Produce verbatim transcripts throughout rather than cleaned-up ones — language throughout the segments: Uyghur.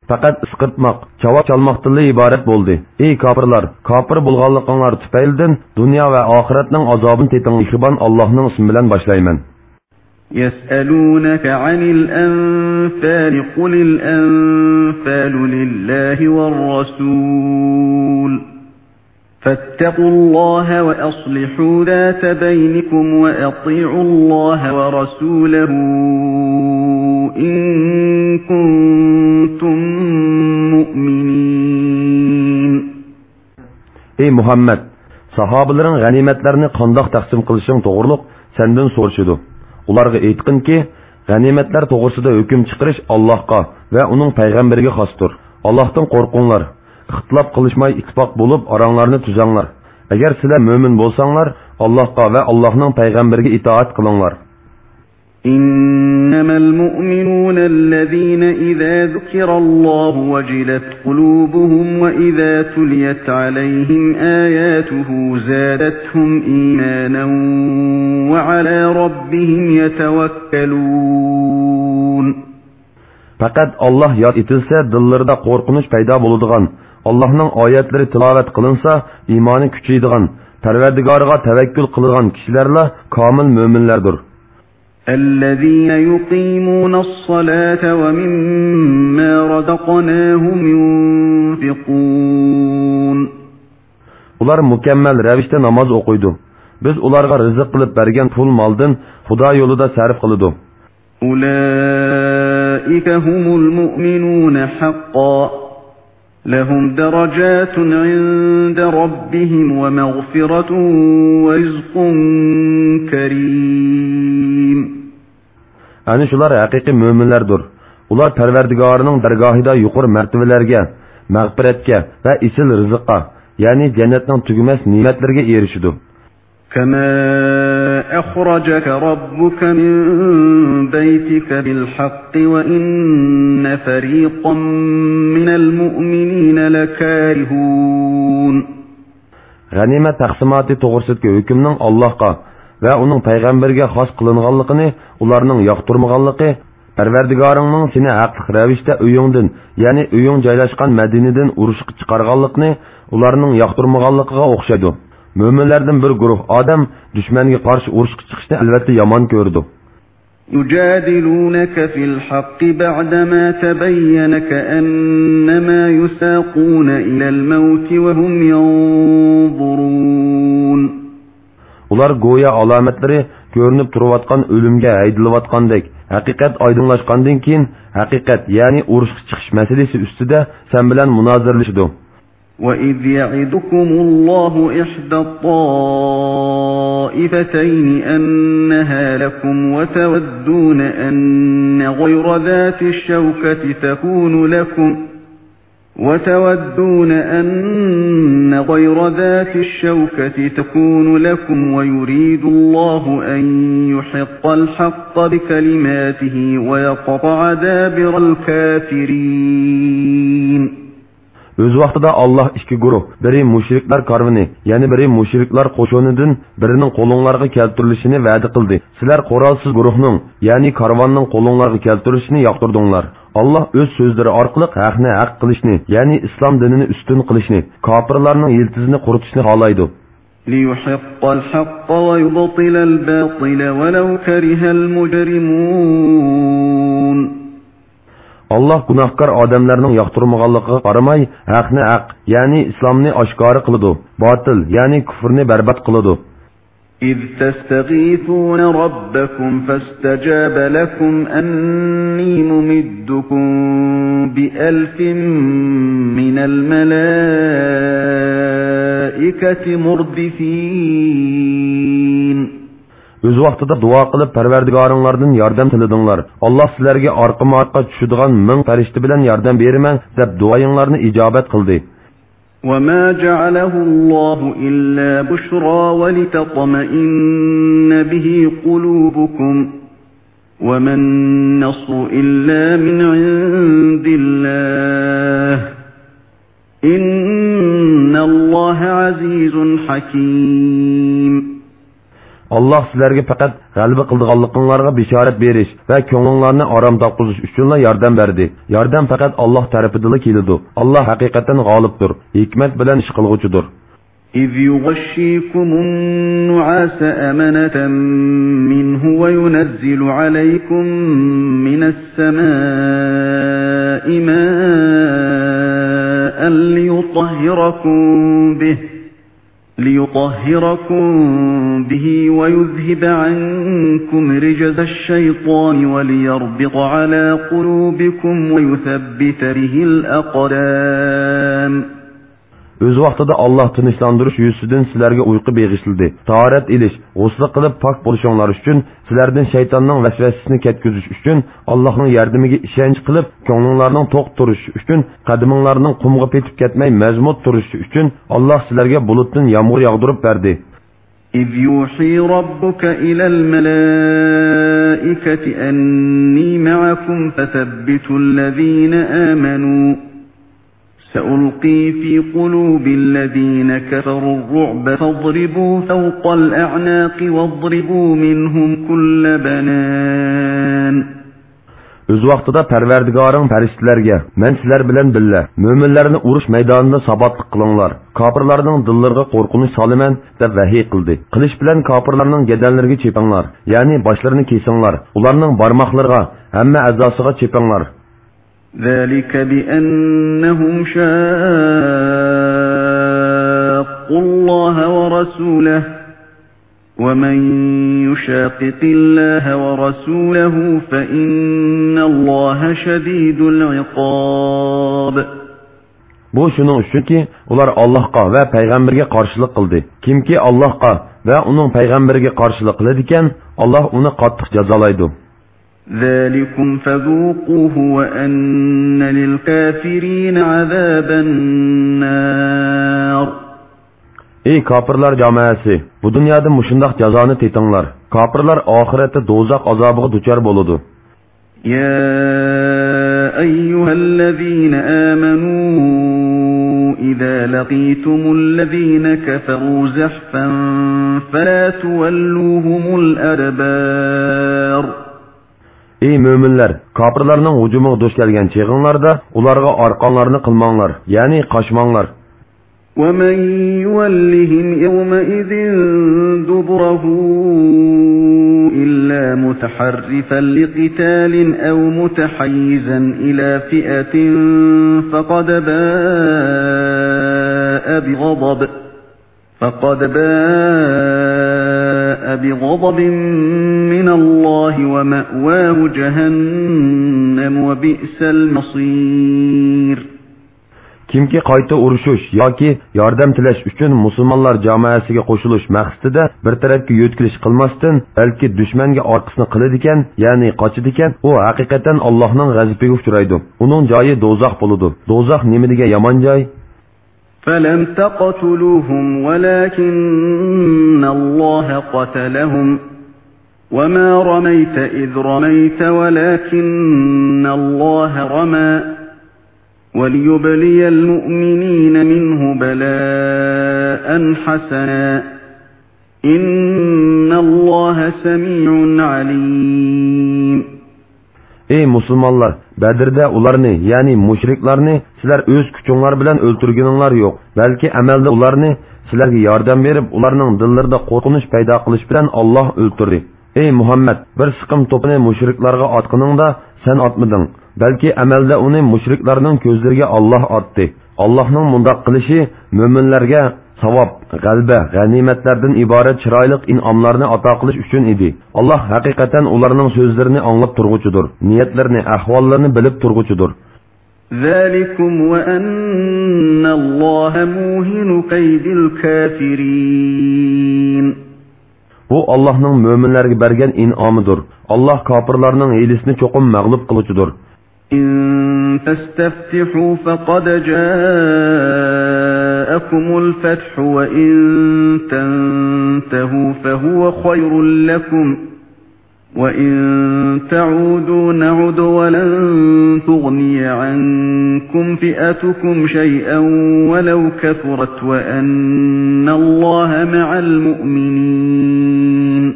پەقەت ئىسقىرتماق، چاۋاك چالماقتىنلا ئىبارەت بولدى. ئەي كاپىرلار، كاپىر بولغانلىقىڭلار تۈپەيلىدىن دۇنيا ۋە ئاخىرەتنىڭ ئازابىنى تېتىڭلار. مېھرىبان ئاللاھنىڭ ئىسمى بىلەن باشلايمەن. يسألونك عن الأنفال، قل الأنفال لله والرسول، فاتقوا الله وأصلحوا ذات بينكم وأطيعوا الله ورسوله إن كنتم مؤمنين. ئەي مۇھەممەد، ساھابىلىرىڭ غەنىيمەتلەرنى قانداق تەقسىم قىلىشىڭ توغرۇلۇق سەندىن سورىشىدۇ. ئۇلارغا ئېيتقىنكى، غەنىيمەتلەر توغرىسىدا ھۆكۈم چىقىرىش ئاللاھقا ۋە ئۇنىڭ پەيغەمبىرىگە خاستۇر. ئاللاھتىن قورقۇڭلار. ئىختىلاپ قىلىشماي ئىتتىپاق بولۇپ ئاراڭلارنى تۈزەڭلار. ئەگەر سىلەر مۆمىن بولساڭلار، ئاللاھقا ۋە ئاللاھنىڭ پەيغەمبىرىگە ئىتائەت قىلىڭلار. إنما المؤمنون الذين إذا ذكر الله وجلت قلوبهم وإذا تليت عليهم آياته زادتهم إيمانا وعلى ربهم يتوكلون. پەقەت ئاللاھ ياد ئېتىلسە، دىللىرىدا قورقۇنچ پەيدا بولىدىغان، ئاللاھنىڭ ئايەتلىرى تىلاۋەت قىلىنسا، ئىمانى كۈچىيىدىغان، پەرۋەردىگارىغا تەۋەككۈل قىلىدىغان كىشىلەرلا كامىل مۆمىنلەردۇر. الذين يقيمون الصلاة ومما رزقناهم ينفقون. ئۇلار مۇكەممەل رەۋىشتە ناماز ئوقۇيدۇ. بىز ئۇلارغا رىزىق قىلىپ بەرگەن پۇل مالدىن خۇدا يولىدا سەرپ قىلىدۇ. أولئك هم المؤمنون حقا، لهم درجات عند ربهم ومغفرة ورزق كريم. ئەنە شۇلار ھەقىقىي مۆمىنلەردۇر. ئۇلار پەرۋەردىگارىنىڭ دەرگاھىدا يۇقىرى مەرتىۋىلەرگە، مەغپىرەتكە ۋە ئېسىل رىزىققا، يەنى جەننەتنىڭ تۈگىمەس نېمەتلىرىگە ئېرىشىدۇ. كما أخرجك ربك من بيتك بالحق وإن فريقا من المؤمنين لكارهون. غەنىيمەت تەقسىماتى توغرىسىدىكى ھۆكۈمنىڭ ئاللاھقا ۋە ئۇنىڭ پەيغەمبىرىگە خاس قىلىنغانلىقىنى ئۇلارنىڭ ياقتۇرمىغانلىقى، پەرۋەردىگارىڭنىڭ سېنى ھەقلىق رەۋىشتە ئۆيۈڭدىن، يەنى ئۆيۈڭ جايلاشقان مەدىنىدىن ئۇرۇشقا چىقارغانلىقىنى ئۇلارنىڭ ياقتۇرمىغانلىقىغا ئوخشايدۇ. مۆمىنلەردىن بىر گۇرۇھ ئادەم دۈشمەنگە قارشى ئۇرۇشقا چىقىشنى ئەلۋەتتە يامان كۆرىدۇ. يجادلونك في الحق بعدما تبين كأنما يساقون إلى الموت وهم ينظرون. ئۇلار گويا ئالامەتلىرى كۆرۈنۈپ تۇرۇۋاتقان ئۆلۈمگە ھەيدىلىۋاتقاندەك، ھەقىقەت ئايدىڭلاشقاندىن كېيىن، ھەقىقەت، يەنى ئۇرۇشقا چىقىش مەسىلىسى ئۈستىدە سەن بىلەن مۇنازىرىلىشىدۇ. وإذ يعدكم الله إحدى الطائفتين أنها لكم وتودون أن غير ذات الشوكة تكون لكم وتودون أن غير ذات الشوكة تكون لكم ويريد الله أن يحق الحق بكلماته ويقطع دابر الكافرين. ئۆز ۋاقتىدا ئاللاھ ئىككى گۇرۇھ، بىرى مۇشرىكلار كارۋىنى، يەنە بىرى مۇشرىكلار قوشۇنىدىن بىرىنىڭ قولۇڭلارغا كەلتۈرۈلۈشىنى ۋەدە قىلدى. سىلەر قورالسىز گۇرۇھنىڭ، يەنى كارۋاننىڭ قولۇڭلارغا كەلتۈرۈلۈشىنى ياقتۇردۇڭلار. ئاللاھ ئۆز سۆزلىرى ئارقىلىق ھەقنى ھەق قىلىشنى، يەنى ئىسلام دىنىنى ئۈستۈن قىلىشنى، كاپىرلارنىڭ يىلتىزىنى قۇرۇتۇشنى خالايدۇ. ليحق الحق ويبطل الباطل ولو كره المجرمون. ئاللاھ گۇناھكار ئادەملەرنىڭ ياقتۇرمىغانلىقىغا قارىماي، ھەقنى ھەق، يەنى ئىسلامنى ئاشكارا قىلىدۇ، باتىل، يەنى كۇفرنى بەربات قىلىدۇ. إذ تستغيثون ربكم فاستجاب لكم أني ممدكم بألف من الملائكة مردفين. ئۆز ۋاقتىدا دۇئا قىلىپ، پەرۋەردىگارىڭلاردىن ياردەم تىلىدىڭلار. ئاللاھ سىلەرگە ئارقىمۇئارقا چۈشىدىغان مىڭ پەرىشتە بىلەن ياردەم بېرىمەن، دەپ دۇئايىڭلارنى ئىجابەت قىلدى. وما جعله الله إلا بشرى ولتطمئن به قلوبكم وما النصر إلا من عند الله إن الله عزيز حكيم. ئاللاھ سىلەرگە پەقەت غەلىبە قىلىدىغانلىقىڭلارغا بېشارەت بېرىش ۋە كۆڭلۈڭلارنى ئارام تاپقۇزۇش ئۈچۈنلا ياردەم بەردى. ياردەم پەقەت ئاللاھ تەرىپىدىنلا كېلىدۇ. ئاللاھ ھەقىقەتەن غالىبتۇر، ھېكمەت بىلەن ئىش قىلغۇچىدۇر. إذ يغشيكم النعاس أمنة منه وينزل عليكم من السماء ماء ليطهركم به، ليطهركم به ويذهب عنكم رجز الشيطان وليربط على قلوبكم ويثبت به الأقدام. ئۆز ۋاقتىدا ئاللاھ تىنچلاندۇرۇش يۈزىسىدىن سىلەرگە ئۇيقۇ بېغىشلىدى. تاھارەت ئېلىش، غۇسلى قىلىپ پاك بولۇشۇڭلار ئۈچۈن، سىلەردىن شەيتاننىڭ ۋەسۋەسىسىنى كەتكۈزۈش ئۈچۈن، ئاللاھنىڭ ياردىمىگە ئىشەنچ قىلىپ، كۆڭلۈڭلارنىڭ توق تۇرۇشى ئۈچۈن، قەدىمىڭلارنىڭ قۇمغا پېتىپ كەتمەي مەزمۇت تۇرۇشى ئۈچۈن، ئاللاھ سىلەرگە بۇلۇتتىن يامغۇر ياغدۇرۇپ بەردى. إذ يوحي ربك إلى الملائكة أني معكم فثبتوا الذين آمنوا سألقي في قلوب الذين كفروا الرعب فاضربوا فوق الأعناق واضربوا منهم كل بنان. ئۆز ۋاقتىدا پەرۋەردىگارىڭ پەرىشتىلەرگە، مەن سىلەر بىلەن بىللە، مۆمىنلەرنى ئۇرۇش مەيدانىدا ساباتلىق قىلىڭلار، كاپىرلارنىڭ دىللىرىغا قورقۇنچ سالىمەن، دەپ ۋەھىي قىلدى. قىلىچ بىلەن كاپىرلارنىڭ گەدەنلىرىگە چېپىڭلار، يەنى باشلىرىنى كېسىڭلار، ئۇلارنىڭ بارماقلىرىغا، ھەممە ئەزاسىغا چېپىڭلار. ذلك بأنهم شاقوا الله ورسوله ومن يشاقق الله ورسوله فإن الله شديد العقاب. بۇ شۇنىڭ ئۈچۈنكى، ئۇلار ئاللاھقا ۋە پەيغەمبىرىگە قارشىلىق قىلدى. كىمكى ئاللاھقا ۋە ئۇنىڭ پەيغەمبىرىگە قارشىلىق قىلىدىكەن، ئاللاھ ئۇنى قاتتىق جازالايدۇ. ذلكم فذوقوه وأن للكافرين عذاب النار. ئەي كاپىرلار جامائەسى، بۇ دۇنيادا مۇشۇنداق جازانى تېتىڭلار. كاپىرلار ئاخىرەتتە دوزاخ ئازابىغا دۇچار بولىدۇ. يا أيها الذين آمنوا إذا لقيتم الذين كفروا زحفا فلا تولوهم الأدبار. ئەي مۆمىنلەر، كاپىرلارنىڭ ھۇجۇمىغا دۇچ كەلگەن چېغىڭلاردا ئۇلارغا ئارقاڭلارنى قىلماڭلار، يەنى قاچماڭلار. ومن يولهم يومئذ دبره إلا متحرفا لقتال أو متحيزا إلى فئة فقد باء بغضب، فقد باء بغضب من الله ومأواه جهنم وبئس المصير. كىمكى قايتا ئۇرۇشۇش ياكى ياردەم تىلەش ئۈچۈن مۇسۇلمانلار جامائەسىگە قوشۇلۇش مەقسىتىدە بىر تەرەپكە يۆتكىلىش قىلماستىن، بەلكى دۈشمەنگە ئارقىسىنى قىلىدىكەن، يەنى قاچىدىكەن، ئۇ ھەقىقەتەن ئاللاھنىڭ غەزىپىگە ئۇچرايدۇ. ئۇنىڭ جايى دوزاخ بولىدۇ. دوزاخ نېمە دېگەن يامان جاي! فلم تقتلوهم ولكن الله قتلهم وما رميت إذ رميت ولكن الله رمى وليبلي المؤمنين منه بلاء حسنا إن الله سميع عليم. ئەي مۇسۇلمانلار، بەدرىدە ئۇلارنى، يەنى مۇشرىكلارنى سىلەر ئۆز كۈچۈڭلار بىلەن ئۆلتۈرگىنىڭلار يوق، بەلكى ئەمەلدە ئۇلارنى سىلەرگە ياردەم بېرىپ، ئۇلارنىڭ دىللىرىدا قورقۇنچ پەيدا قىلىش بىلەن ئاللاھ ئۆلتۈردى. ئەي مۇھەممەد، بىر سىقىم توپىنى مۇشرىكلارغا ئاتقىنىڭدا سەن ئاتمىدىڭ، بەلكى ئەمەلدە ئۇنى مۇشرىكلارنىڭ كۆزلىرىگە ئاللاھ ئاتتى. ئاللاھنىڭ مۇنداق قىلىشى مۆمىنلەرگە ساۋاب، غەلىبە، غەنىيمەتلەردىن ئىبارەت چىرايلىق ئىنئاملارنى ئاتا قىلىش ئۈچۈن ئىدى. ئاللاھ ھەقىقەتەن ئۇلارنىڭ سۆزلىرىنى ئاڭلاپ تۇرغۇچىدۇر، نىيەتلىرىنى، ئەھۋاللىرىنى بىلىپ تۇرغۇچىدۇر. ذلكم وأن الله موهن كيد الكافرين. بۇ ئاللاھنىڭ مۆمىنلەرگە بەرگەن ئىنئامىدۇر. ئاللاھ كاپىرلارنىڭ ھىيلىسىنى چوقۇم مەغلۇپ قىلغۇچىدۇر. إن تستفتحوا فقد جاء جاءكم الفتح وإن تنتهوا فهو خير لكم وإن تعودوا نعد ولن تغني عنكم فئتكم شيئا ولو كثرت وأن الله مع المؤمنين.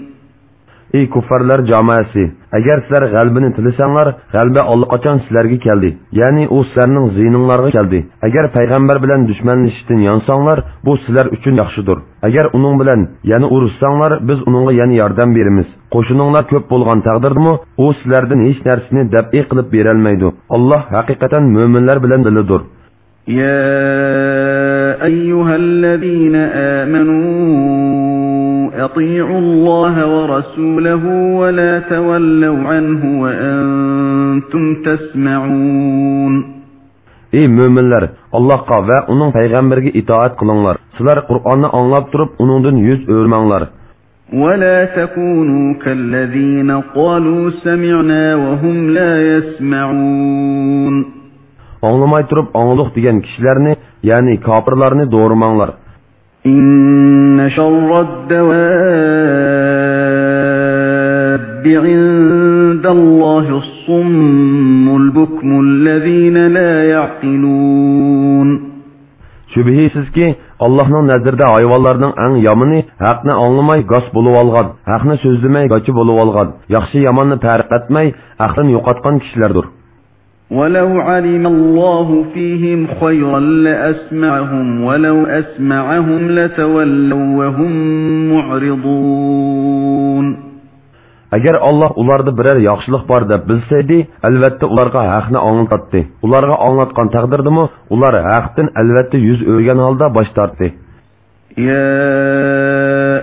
ئەي كۇففارلار جامائەسى! ئەگەر سىلەر غەلىبىنى تىلىسەڭلار، غەلىبە ئاللىقاچان سىلەرگە كەلدى، يەنى ئۇ سىلەرنىڭ زىيىنىڭلارغا كەلدى. ئەگەر پەيغەمبەر بىلەن دۈشمەنلىشىشتىن يانساڭلار، بۇ سىلەر ئۈچۈن ياخشىدۇر. ئەگەر ئۇنىڭ بىلەن يەنە ئۇرۇشساڭلار، بىز ئۇنىڭغا يەنە ياردەم بېرىمىز. قوشۇنۇڭلار كۆپ بولغان تەقدىردىمۇ، ئۇ سىلەردىن ھېچ نەرسىنى دەپئى قىلىپ بېرەلمەيدۇ. ئاللاھ ھەقىقەتەن مۆمىنلەر بىلەن بىللىدۇر. يا أيها الذين آمنوا أطيعوا الله ورسوله ولا تولوا عنه وأنتم تسمعون. ئەي مۆمىنلەر، ئاللاھقا ۋە ئۇنىڭ پەيغەمبىرىگە ئىتائەت قىلىڭلار. سىلەر قۇرئاننى ئاڭلاپ تۇرۇپ، ئۇنىڭدىن يۈز ئۆرمەڭلار. ولا تكونوا كالذين قالوا سمعنا وهم لا يسمعون. ئاڭلىماي تۇرۇپ ئاڭلىدۇق دېگەن كىشىلەرنى، يەنى كاپىرلارنى دورىماڭلار. إن شر الدواب عند الله الصم البكم الذين لا يعقلون. شۈبھىسىزكى، ئاللاھنىڭ نەزىرىدە ھايۋانلارنىڭ ئەڭ يامىنى ھەقنى ئاڭلىماي گاس بولۇۋالغان، ھەقنى سۆزلىمەي گاچا بولۇۋالغان، ياخشى-ياماننى پەرق ئەتمەي ئەقلىنى يوقاتقان كىشىلەردۇر. ولو علم الله فيهم خيرا لأسمعهم ولو أسمعهم لتولوا وهم معرضون. ئەگەر ئاللاھ ئۇلاردا بىرەر ياخشىلىق بار دەپ بىلسەيدى، ئەلۋەتتە ئۇلارغا ھەقنى ئاڭلىتاتتى. ئۇلارغا ئاڭلاتقان تەقدىردىمۇ ئۇلار ھەقتىن ئەلۋەتتە يۈز ئۆرۈگەن ھالدا باش تارتتى. يا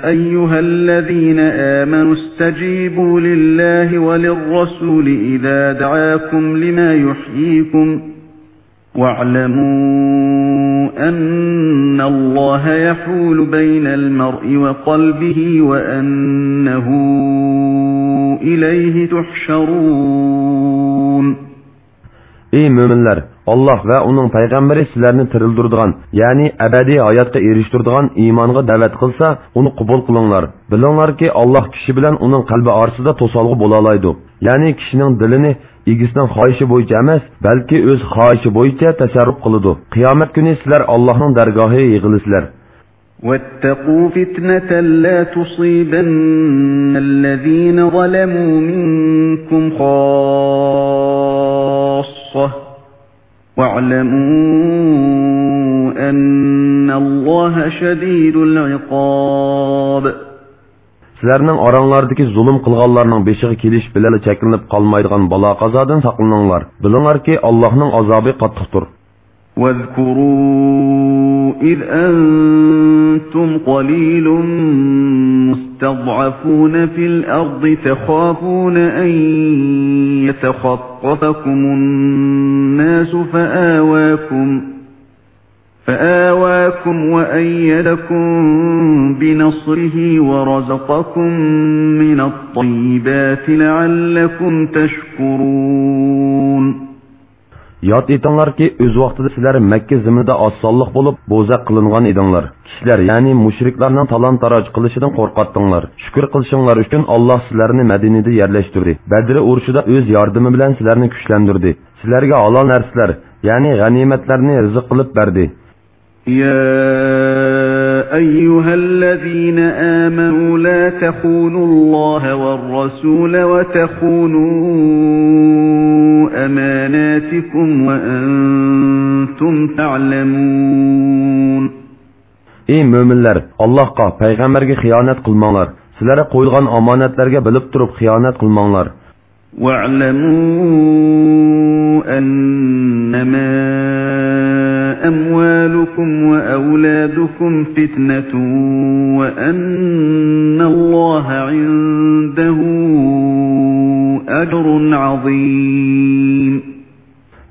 أيها الذين آمنوا استجيبوا لله وللرسول إذا دعاكم لما يحييكم واعلموا أن الله يحول بين المرء وقلبه وأنه إليه تحشرون. ئەي مۆمىنلەر! ئاللاھ ۋە ئۇنىڭ پەيغەمبىرى سىلەرنى تىرىلدۈرىدىغان، يەنى ئەبەدىي ھاياتقا ئېرىشتۈرىدىغان ئىمانغا دەۋەت قىلسا، ئۇنى قوبۇل قىلىڭلار. بىلىڭلاركى، ئاللاھ كىشى بىلەن ئۇنىڭ قەلبى ئارىسىدا توسالغۇ بولالايدۇ. يەنى كىشىنىڭ دىلىنى ئىگىسىنىڭ خاھىشى بويىچە ئەمەس، بەلكى ئۆز خاھىشى بويىچە تەسەررۇپ قىلىدۇ. قىيامەت كۈنى سىلەر ئاللاھنىڭ دەرگاھىغا يىغىلىسىلەر. واتقوا فتنة لا تصيبن الذين ظلموا منكم خاصة واعلموا أن الله شديد العقاب. سىلەرنىڭ ئاراڭلاردىكى زۇلۇم قىلغانلارنىڭ بېشىغا كېلىش بىلەنلا چەكلىنىپ قالمايدىغان بالا-قازادىن ساقلىنىڭلار. بىلىڭلاركى، ئاللاھنىڭ ئازابى قاتتىقتۇر. واذكروا إذ أنتم قليل مستضعفون في الأرض تخافون أن يتخطفكم الناس فآواكم فآواكم وأيدكم بنصره ورزقكم من الطيبات لعلكم تشكرون. ياد ئېتىڭلاركى، ئۆز ۋاقتىدا سىلەر مەككە زېمىنىدا ئاز سانلىق بولۇپ، بوزەك قىلىنغان ئىدىڭلار. كىشىلەر، يەنى مۇشرىكلارنىڭ تالان-تاراج قىلىشىدىن قورقاتتىڭلار. شۈكۈر قىلىشىڭلار ئۈچۈن ئاللاھ سىلەرنى مەدىنىدە يەرلەشتۈردى. بەدرى ئۇرۇشىدا ئۆز ياردىمى بىلەن سىلەرنى كۈچلەندۈردى. سىلەرگە ھالال نەرسىلەر، يەنى غەنىيمەتلەرنى رىزىق قىلىپ بەردى. يا أيها الذين آمنوا لا تخونوا الله والرسول وتخونوا أماناتكم وأنتم تعلمون. ئەي مۆمىنلەر، ئاللاھقا، پەيغەمبەرگە خىيانەت قىلماڭلار. سىلەرگە قويۇلغان ئامانەتلەرگە بىلىپ تۇرۇپ خىيانەت قىلماڭلار. واعلموا أنما أموالكم وأولادكم فتنة وأن الله عنده أجر عظيم.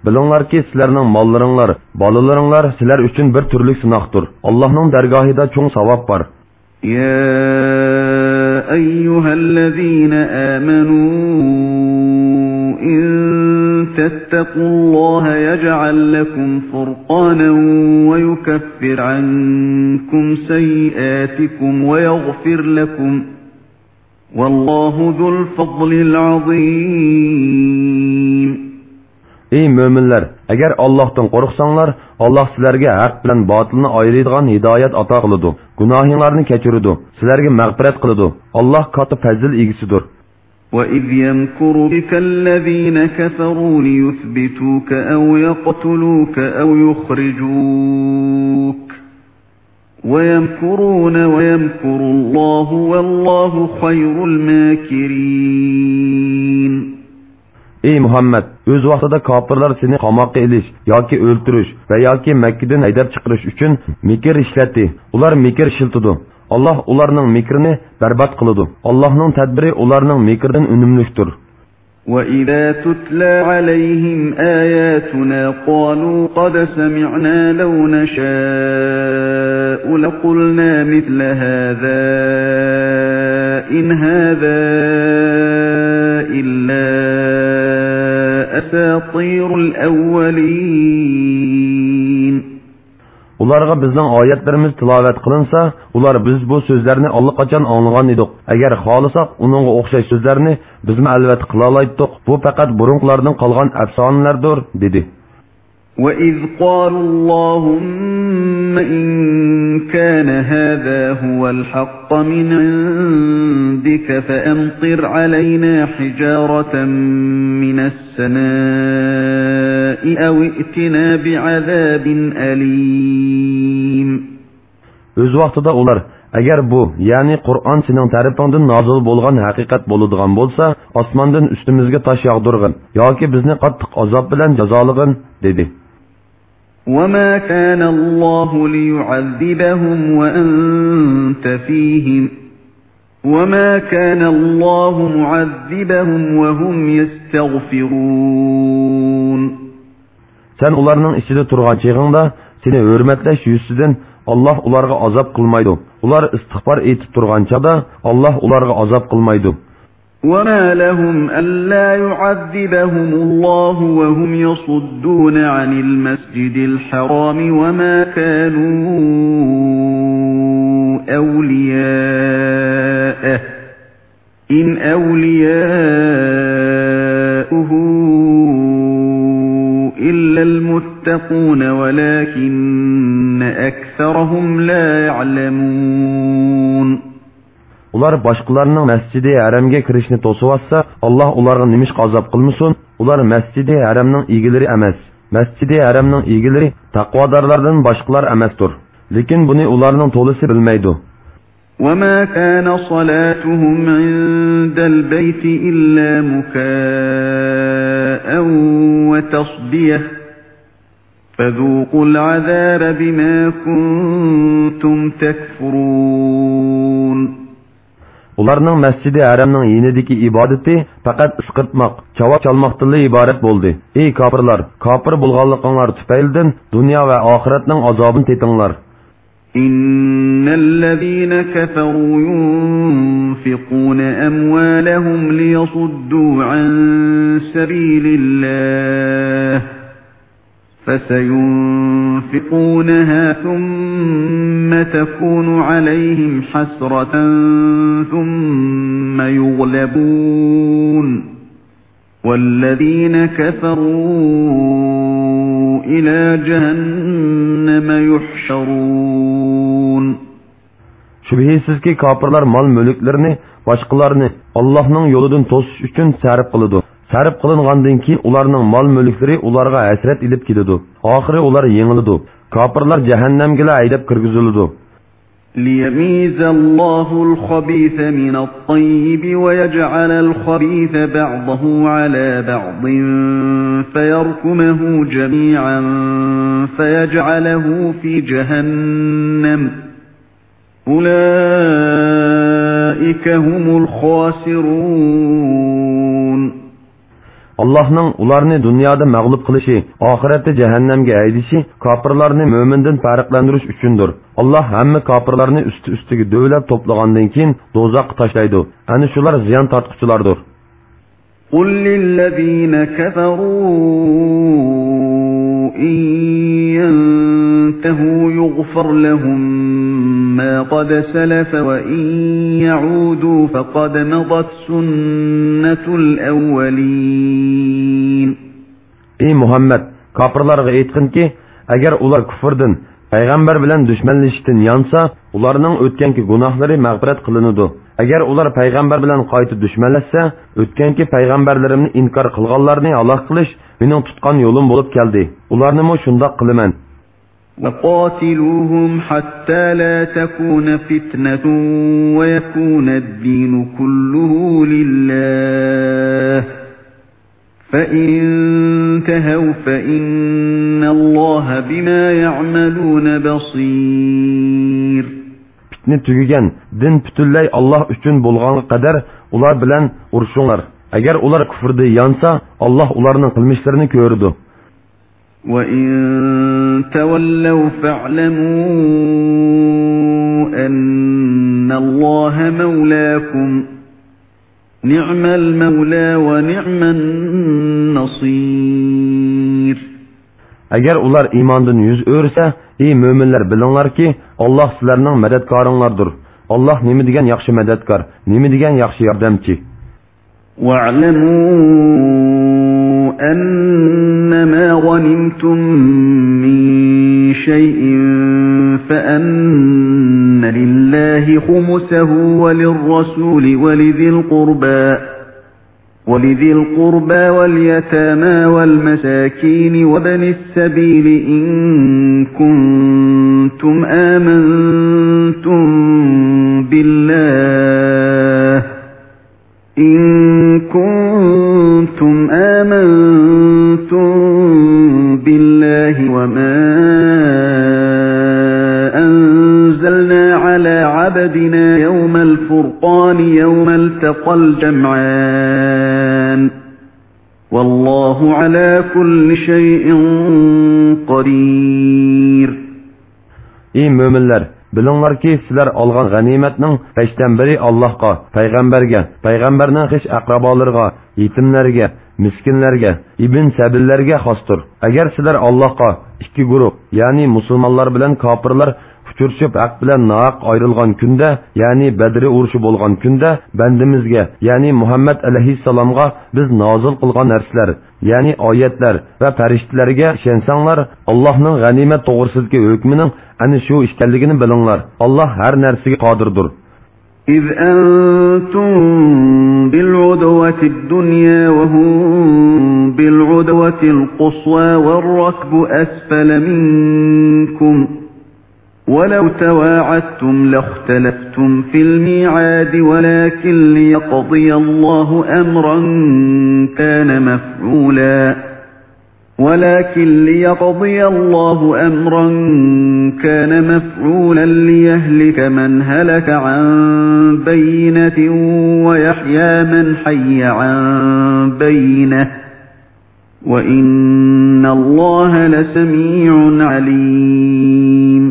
بىلىڭلاركى، سىلەرنىڭ ماللىرىڭلار، بالىلىرىڭلار سىلەر ئۈچۈن بىر تۈرلۈك سىناقتۇر. ئاللاھنىڭ دەرگاھىدا چوڭ ساۋاب بار. يا أيها الذين آمنوا إن تتقوا الله يجعل لكم فرقانا ويكفر عنكم سيئاتكم ويغفر لكم والله ذو الفضل العظيم. ئەي مۆمىنلەر، ئەگەر ئاللاھتىن قورقساڭلار، ئاللاھ سىلەرگە ھەق بىلەن باتىلنى ئايرىيدىغان ھىدايەت ئاتا قىلىدۇ. گۇناھىڭلارنى كەچۈرىدۇ، سىلەرگە مەغپىرەت قىلىدۇ. ئاللاھ كاتتا پەزىل ئىگىسىدۇر. وَإِذْ يَمْكُرُ بِكَ الَّذِينَ كَفَرُوا لِيُثْبِتُوكَ أَوْ يَقْتُلُوكَ أَوْ يُخْرِجُوكَ وَيَمْكُرُونَ وَيَمْكُرُ اللَّهُ وَاللَّهُ خَيْرُ الْمَاكِرِينَ. ئەي مۇھەممەد، ئۆز ۋاقتىدا كاپىرلار سېنى قاماققا ئېلىش ياكى ئۆلتۈرۈش ۋە ياكى مەككىدىن ھەيدەپ چىقىرىش ئۈچۈن مىكىر ئىشلەتتى. ئۇلار مىكىر ئىشلىتىدۇ. ئاللاھ ئۇلارنىڭ مىكرىنى بەربات قىلىدۇ. ئاللاھنىڭ تەدبىرى ئۇلارنىڭ مىكرىدىن ئۈنۈملۈكتۇر. وَإِذَا تُتْلَىٰ عَلَيْهِمْ آيَاتُنَا قَالُوا قَدْ سَمِعْنَا لَوْ نَشَاءُ لَقُلْنَا مِثْلَ هَٰذَا إِنْ هَٰذَا إِلَّا أَسَاطِيرُ الْأَوَّلِينَ. ئۇلارغا بىزنىڭ ئايەتلىرىمىز تىلاۋەت قىلىنسا، ئۇلار: «بىز بۇ سۆزلەرنى ئاللىقاچان ئاڭلىغان ئىدۇق. ئەگەر خالىساق، ئۇنىڭغا ئوخشاش سۆزلەرنى بىزمۇ ئەلۋەتتە قىلالايتتۇق. بۇ پەقەت بۇرۇنقىلاردىن قالغان ئەپسانىلەردۇر» دېدى. وَإِذْ قَالُوا اللَّهُمَّ إِنْ كَانَ هَٰذَا هُوَ الْحَقَّ مِنْ عِنْدِكَ فَأَمْطِرْ عَلَيْنَا حِجَارَةً مِنَ السَّمَاءِ أَوِ ائْتِنَا بِعَذَابٍ أَلِيمٍ. ئۆز ۋاقتىدا ئۇلار: «ئەگەر بۇ، يەنى قۇرئان سېنىڭ تەرىپىڭدىن نازىل بولغان ھەقىقەت بولىدىغان بولسا، ئاسماندىن ئۈستىمىزگە تاش ياغدۇرغىن ياكى بىزنى قاتتىق ئازاب بىلەن جازالىغىن» دېدى. وَمَا كَانَ اللَّهُ لِيُعَذِّبَهُمْ وَأَنْتَ فِيهِمْ، وَمَا كَانَ اللَّهُ مُعَذِّبَهُمْ وَهُمْ يَسْتَغْفِرُونَ. سەن ئۇلارنىڭ ئىچىدە تۇرغان چېغىڭدا، سېنى ھۆرمەتلەش يۈزىسىدىن ئاللاھ ئۇلارغا ئازاب قىلمايدۇ. ئۇلار ئىستىغپار ئېيتىپ تۇرغان چاغدا ئاللاھ ئۇلارغا ئازاب قىلمايدۇ. وَمَا لَهُمْ أَلَّا يُعَذِّبَهُمُ اللَّهُ وَهُمْ يَصُدُّونَ عَنِ الْمَسْجِدِ الْحَرَامِ وَمَا كَانُوا أَوْلِيَاءَهُ إِنْ أَوْلِيَاؤُهُ إِلَّا الْمُتَّقُونَ وَلَٰكِنَّ أَكْثَرَهُمْ لَا يَعْلَمُونَ. ئۇلار باشقىلارنىڭ مەسجىدى ھەرەمگە كىرىشىنى توسۇۋاتسا، ئاللاھ ئۇلارغا نېمىشقا ئازاب قىلمىسۇن؟ ئۇلار مەسجىدى ھەرەمنىڭ ئىگىلىرى ئەمەس. مەسجىدى ھەرەمنىڭ ئىگىلىرى تەقۋادارلاردىن باشقىلار ئەمەستۇر. لېكىن بۇنى ئۇلارنىڭ تولىسى بىلمەيدۇ. وَمَا كَانَ صَلَاتُهُمْ عِندَ الْبَيْتِ إِلَّا مُكَاءً وَتَصْدِيَةً فَذُوقُوا الْعَذَابَ بِمَا كُنْتُمْ تَكْفُرُونَ. ئۇلارنىڭ مەسجىدى ھەرەمنىڭ يېنىدىكى ئىبادىتى پەقەت ئىسقىرتماق، چاۋاك چالماقتىنلا ئىبارەت بولدى. ئەي كاپىرلار، كاپىر بولغانلىقىڭلار تۈپەيلىدىن دۇنيا ۋە ئاخىرەتنىڭ ئازابىنى تېتىڭلار. إِنَّ الَّذِينَ كَفَرُوا يُنْفِقُونَ أَمْوَالَهُمْ لِيَصُدُّوا عَنْ سَبِيلِ اللَّهِ فَسَيُنْفِقُونَهَا ثُمَّ تَكُونُ عَلَيْهِمْ حَسْرَةً ثُمَّ يُغْلَبُونَ وَالَّذِينَ كَفَرُوا إِلَى جَهَنَّمَ يُحْشَرُونَ. شۈبھىسىزكى، كاپىرلار مال-مۈلۈكلىرىنى باشقىلارنى ئاللاھنىڭ يولىدىن توسۇش ئۈچۈن سەرپ قىلىدۇ. سەرپ قىلىنغاندىن كېيىن ئۇلارنىڭ مال-مۈلۈكلىرى ئۇلارغا ھەسرەت ئېلىپ كېلىدۇ. ئاخىرى ئۇلار يېڭىلىدۇ. كاپىرلار جەھەننەمگىلا ھەيدەپ كىرگۈزۈلىدۇ. لِيَمِيزَ اللَّهُ الْخَبِيثَ مِنَ الطَّيِّبِ وَيَجْعَلَ الْخَبِيثَ بَعْضَهُ عَلَى بَعْضٍ فَيَرْكُمَهُ جَمِيعًا فَيَجْعَلَهُ فِي جَهَنَّمَ أُولَٰئِكَ هُمُ الْخَاسِرُونَ. ئاللاھنىڭ ئۇلارنى دۇنيادا مەغلۇپ قىلىشى، ئاخىرەتتە جەھەننەمگە ھەيدىشى كاپىرلارنى مۆمىندىن پەرقلەندۈرۈش ئۈچۈندۇر. ئاللاھ ھەممە كاپىرلارنى ئۈستى-ئۈستىگە دۆۋىلەپ توپلىغاندىن كېيىن دوزاخقا تاشلايدۇ. ئەنە شۇلار زىيان تارتقۇچىلاردۇر. قُل لِّلَّذِينَ كَفَرُوا إِن يَنتَهُوا يُغْفَرْ لَهُم مَّا قَدْ سَلَفَ وَإِن يَعُودُوا فَقَدْ مَضَتْ سُنَّتُ الْأَوَّلِينَ. ئەي مۇھەممەد، كاپىرلارغا ئېيتقىنكى، ئەگەر ئۇلار كۇفرىدىن، پەيغەمبەر بىلەن دۈشمەنلىشىشتىن يانسا، ئۇلارنىڭ ئۆتكەنكى گۇناھلىرى مەغپىرەت قىلىنىدۇ. ئەگەر ئۇلار پەيغەمبەر بىلەن قايتا دۈشمەنلەشسە، ئۆتكەنكى پەيغەمبەرلىرىمنى ئىنكار قىلغانلارنى ھالاك قىلىش مېنىڭ تۇتقان يولۇم بولۇپ كەلدى. ئۇلارنىمۇ شۇنداق قىلىمەن. وقاتلوهم حتى لا تكون فتنة ويكون الدين كله لله، فإن انتهوا فإن الله بما يعملون بصير. پىتنە تۈگىگەن، دىن پۈتۈنلەي ئاللاھ ئۈچۈن بولغانغا قەدەر ئۇلار بىلەن ئۇرۇشۇڭلار. ئەگەر ئۇلار كۇفرىدا يانسا، ئاللاھ ئۇلارنىڭ قىلمىشلىرىنى كۆرىدۇ. وإن تولوا فاعلموا أن الله مولاكم، نعم المولى ونعم النصير. ئەگەر ئۇلار ئىماندىن يۈز ئۆرۈسە، ئى مۆمىنلەر، بىلىڭلاركى، ئاللاھ سىلەرنىڭ مەدەتكارىڭلاردۇر. ئاللاھ نېمە دېگەن ياخشى مەدەتكار، نېمە دېگەن ياخشى ياردەمچى. واعلموا أنما غنمتم من شيء فأن لله خمسه وللرسول ولذي القربى، ولذي القربى واليتامى والمساكين وابن السبيل إن كنتم آمنتم بالله إن كنتم آمنتم بالله وما أنزلنا على عبدنا يوم الفرقان يوم التقى الجمعان والله على كل شيء قدير. ئى مۆمىنلەر، بىلىڭلاركى، سىلەر ئالغان غەنىيمەتنىڭ بەشتىن بىرى ئاللاھقا، پەيغەمبەرگە، پەيغەمبەرنىڭ خىش ئەقرىبالىرىغا، يېتىملەرگە، مىسكىنلەرگە، ئىبن سەبىللەرگە خاستۇر. ئەگەر سىلەر ئاللاھقا، ئىككى گۇرۇھ، يەنى مۇسۇلمانلار بىلەن كاپىرلار ئۇچرىشىپ ھەق بىلەن ناھەق ئايرىلغان كۈندە، يەنى بەدرى ئۇرۇشى بولغان كۈندە بەندىمىزگە، يەنى مۇھەممەد ئەلەيھىسسالامغا بىز نازىل قىلغان نەرسىلەر، يەنى ئايەتلەر ۋە پەرىشتىلەرگە ئىشەنسەڭلار، ئاللاھنىڭ غەنىيمەت توغرىسىدىكى ھۆكمىنىڭ ئەنە شۇ ئىكەنلىكىنى بىلىڭلار. ئاللاھ ھەر نەرسىگە قادىردۇر. إذ أنتم بالعدوة الدنيا وهم بالعدوة القصوى والركب أسفل منكم ولو تواعدتم لاختلفتم في الميعاد ولكن ليقضي الله أمرا كان مفعولا ولكن ليقضي الله أمرا كان مفعولا ليهلك من هلك عن بينة ويحيى من حي عن بينة وإن الله لسميع عليم.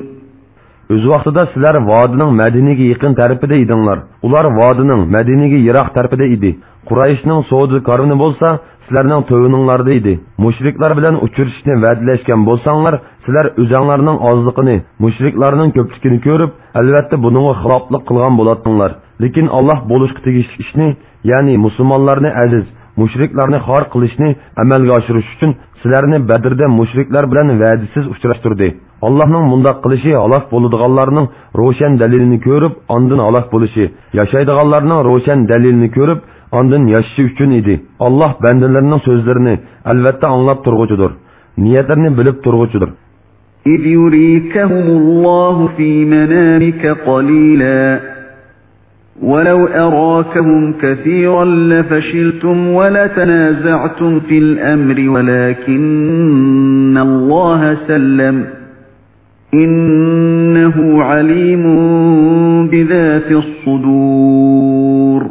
ئۆز ۋاقتىدا سىلەر ۋادىنىڭ مەدىنىگە يېقىن تەرىپىدە ئىدىڭلار. ئۇلار ۋادىنىڭ مەدىنىگە يىراق تەرىپىدە ئىدى. قۇرەيشنىڭ سودا كارۋىنى بولسا سىلەرنىڭ تۆۋىنىڭلاردا ئىدى. مۇشرىكلار بىلەن ئۇچرىشىشنى ۋەدىلەشكەن بولساڭلار، سىلەر ئۆزۈڭلارنىڭ ئازلىقىنى، مۇشرىكلارنىڭ كۆپلۈكىنى كۆرۈپ، ئەلۋەتتە بۇنىڭغا خىلاپلىق قىلغان بولاتتىڭلار. لېكىن ئاللاھ بولۇشقا تېگىشلىك ئىشنى، يەنى مۇسۇلمانلارنى ئەزىز، مۇشرىكلارنى خار قىلىشنى ئەمەلگە ئاشۇرۇش ئۈچۈن سىلەرنى بەدىردە مۇشرىكلار بىلەن ۋەدىسىز ئۇچراشتۇردى. ئاللاھنىڭ مۇنداق قىلىشى ھالاك بولىدىغانلارنىڭ روشەن دەلىلىنى كۆرۈپ، ئاندىن ھالاك بولۇشى، ياشايدىغانلارنىڭ روشەن دەلىلىنى كۆرۈپ، ئاندىن ياشىشى ئۈچۈن ئىدى. ئاللاھ بەندىلىرىنىڭ سۆزلىرىنى ئەلۋەتتە ئاڭلاپ تۇرغۇچىدۇر، نىيەتلىرىنى بىلىپ تۇرغۇچىدۇر. إذ يريكهم الله في منامك قليلا ولو أراكهم كثيرا لفشلتم ولتنازعتم في الأمر ولكن الله سلم إنه عليم بذات الصدور.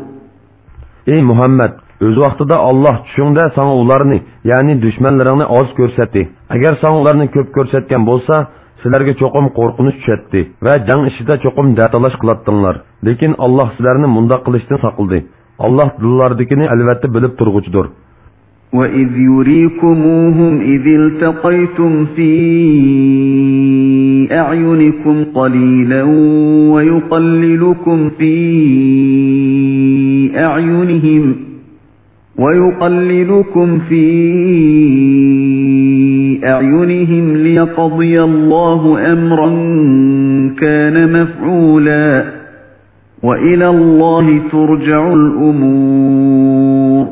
ئەي مۇھەممەد، ئۆز ۋاقتىدا ئاللاھ چۈشۈڭدە ساڭا ئۇلارنى، يەنى دۈشمەنلىرىڭنى ئاز كۆرسەتتى. ئەگەر ساڭا ئۇلارنى كۆپ كۆرسەتكەن بولسا، سىلەرگە چوقۇم قورقۇنچ چۈشەتتى ۋە جەڭ ئىچىدە چوقۇم دەتالاش قىلاتتىڭلار. لېكىن ئاللاھ سىلەرنى مۇنداق قىلىشتىن ساقلىدى. ئاللاھ دىللاردىكىنى ئەلۋەتتە بىلىپ تۇرغۇچىدۇر. وإذ يريكموهم إذ التقيتم في أعينكم قليلا ويقللكم في أعينهم ويقللكم في أعينهم ليقضي الله أمرا كان مفعولا وإلى الله ترجع الأمور.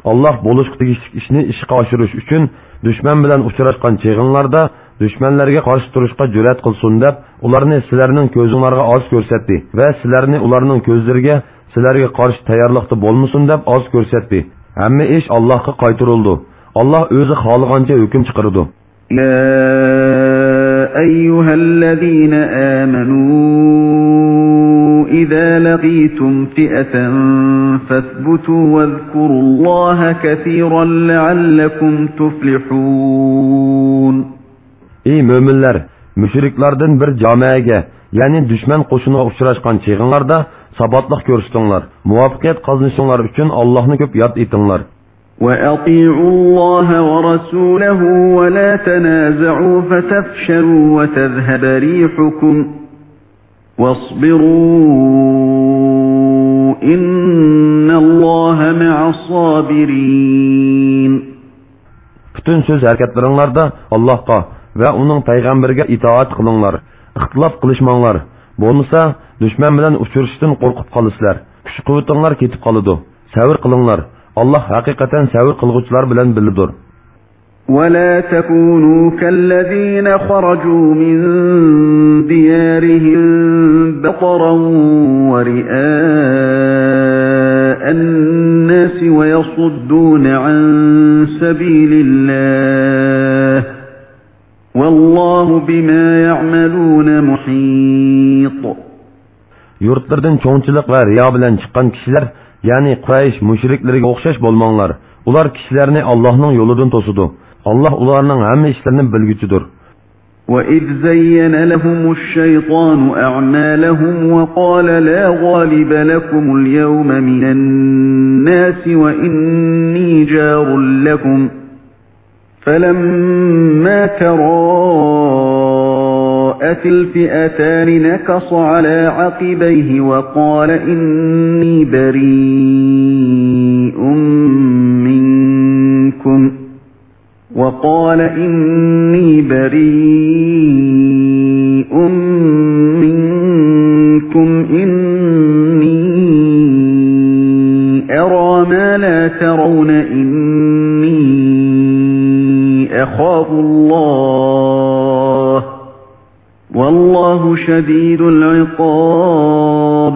ئاللاھ بولۇشقا تېگىشلىك ئىشنى ئىشقا ئاشۇرۇش ئۈچۈن دۈشمەن بىلەن ئۇچراشقان چېغىڭلاردا دۈشمەنلەرگە قارشى تۇرۇشقا جۈرئەت قىلسۇن دەپ، ئۇلارنى سىلەرنىڭ كۆزۈڭلارغا ئاز كۆرسەتتى ۋە سىلەرنى ئۇلارنىڭ كۆزلىرىگە سىلەرگە قارشى تەييارلىقتا بولمىسۇن دەپ ئاز كۆرسەتتى. ھەممە ئىش ئاللاھقا قايتۇرۇلىدۇ. ئاللاھ ئۆزى خالىغانچە ھۆكۈم چىقىرىدۇ. يا أيها الذين آمنوا إذا لقيتم فئة فاثبتوا واذكروا الله كثيرا لعلكم تفلحون. ئەي مۆمىنلەر، مۇشرىكلاردىن بىر جامائەگە، يەنى دۈشمەن قوشۇنىغا ئۇچراشقان چېغىڭلاردا ساباتلىق كۆرسىتىڭلار. مۇۋەپپەقىيەت قازىنىشىڭلار ئۈچۈن ئاللاھنى كۆپ ياد ئېتىڭلار. وأطيعوا الله ورسوله ولا تنازعوا فتفشلوا وتذهب ريحكم واصبروا إن الله مع الصابرين. پۈتۈن سۆز ھەرىكەتلىرىڭلاردا ئاللاھقا ۋە ئۇنىڭ پەيغەمبىرىگە ئىتائەت قىلىڭلار، ئىختىلاپ قىلىشماڭلار. بولمىسا دۈشمەن بىلەن ئۇچرىشىشتىن قورقۇپ قالىسىلەر. كۈچ-قۇۋۋىتىڭلار كېتىپ قالىدۇ. سەۋر قىلىڭلار. ئاللاھ ھەقىقەتەن سەۋر قىلغۇچىلار بىلەن بىللىدۇر. ولا تكونوا كالذين خرجوا من ديارهم بطرا ورئاء الناس ويصدون عن سبيل الله والله بما يعملون محيط. يۇرتلىرىدىن چوڭچىلىق ۋە رىيا بىلەن چىققان كىشىلەر، يەنى قۇرەيش مۇشرىكلىرىگە ئوخشاش بولماڭلار. ئۇلار كىشىلەرنى ئاللاھنىڭ يولىدىن توسىدۇ. ئاللاھ ئۇلارنىڭ ھەممە ئىشلىرىنى بىلگۈچىدۇر. وإذ زين لهم الشيطان أعمالهم وقال لا غالب لكم اليوم من الناس وإني جار لكم فلما تراءت الفئتان نكص على عقبيه وقال إني بريء منكم وقال إني بريء منكم إني أرى ما لا ترون إني أخاف الله والله شديد العقاب.